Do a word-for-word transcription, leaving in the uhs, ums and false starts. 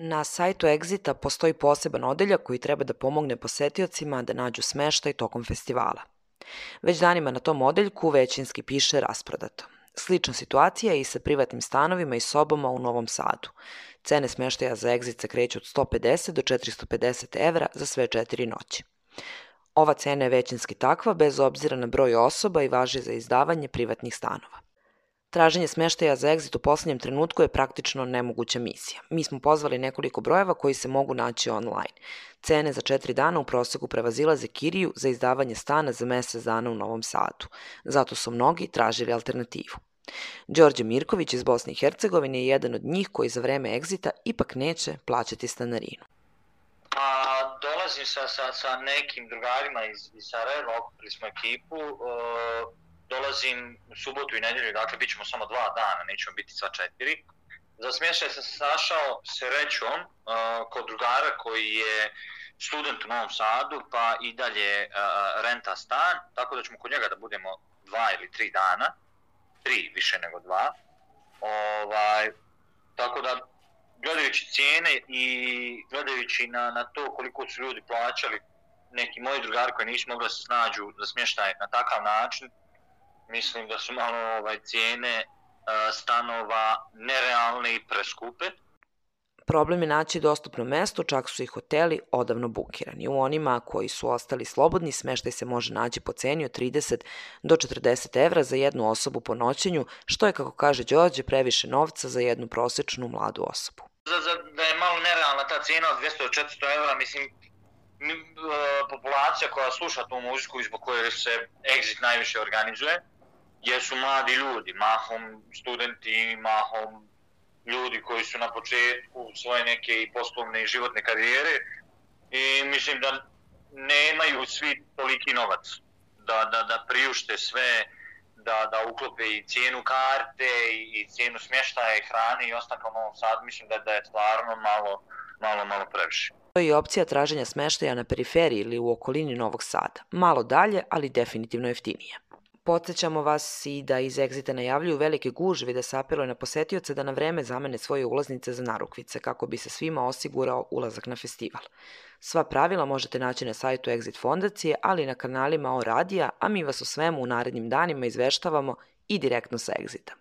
Na sajtu Exita postoji poseban odeljak koji treba da pomogne posetiocima da nađu smeštaj tokom festivala. Već danima na tom odeljku većinski piše rasprodato. Slična situacija je i sa privatnim stanovima i sobama u Novom Sadu. Cene smeštaja za Exit se kreću od sto pedeset do četiristo pedeset evra za sve četiri noći. Ova cena je većinski takva bez obzira na broj osoba i važi za izdavanje privatnih stanova. Traženje smeštaja za Exit u poslednjem trenutku je praktično nemoguća misija. Mi smo pozvali nekoliko brojeva koji se mogu naći online. Cene za četiri dana u proseku prevazilaze kiriju za izdavanje stana za mesec dana u Novom Sadu. Zato su mnogi tražili alternativu. Đorđe Mirković iz Bosne i Hercegovine je jedan od njih koji za vreme Exita ipak neće plaćati stanarinu. Pa dolazim sa, sa, sa nekim drugarima iz, iz Sarajeva, okupili smo ekipu, e, dolazim u subotu i nedjelju, dakle bit ćemo samo dva dana, nećemo biti sva četiri. Za smještaj sam se našao srećom e, kod drugara koji je student u Novom Sadu, pa i dalje e, renta stan, tako da ćemo kod njega da budemo dva ili tri dana, tri više nego dva. Ovaj, tako da gledajući cijene i gledajući na, na to koliko su ljudi plaćali, neki moji drugari koji nisu mogli da se snađu za smještaj na takav način, mislim da su malo ovaj, cijene uh, stanova nerealne i preskupe. Problem je naći dostupno mesto, čak su i hoteli odavno bukirani. U onima koji su ostali slobodni, smeštaj se može naći po ceni od trideset do četrdeset evra za jednu osobu po noćenju, što je, kako kaže Đorđe, previše novca za jednu prosečnu mladu osobu. Za, za, da je malo nerealna ta cijena od dvjesto do četiristo evra, mislim, mi, e, populacija koja sluša tu muziku i zbog koje se Exit najviše organizuje, jesu mladi ljudi, mahom studenti, mahom ljudi koji su na početku svoje neke i poslovne i životne karijere i mislim da nemaju svi toliki novac da, da, da priušte sve, da, da uklope i cijenu karte i, i cijenu smještaja i hrane i ostanka u Novom Sadu, mislim da, da je stvarno malo, malo, malo previše. To je i opcija traženja smeštaja na periferiji ili u okolini Novog Sada. Malo dalje, ali definitivno jeftinije. Podsećamo vas i da iz Exita najavljuju velike gužve da se apeluje na posetioce da na vreme zamene svoje ulaznice za narukvice kako bi se svima osigurao ulazak na festival. Sva pravila možete naći na sajtu Exit fondacije, ali i na kanalima O Radija, a mi vas o svemu u narednim danima izveštavamo i direktno sa Exita.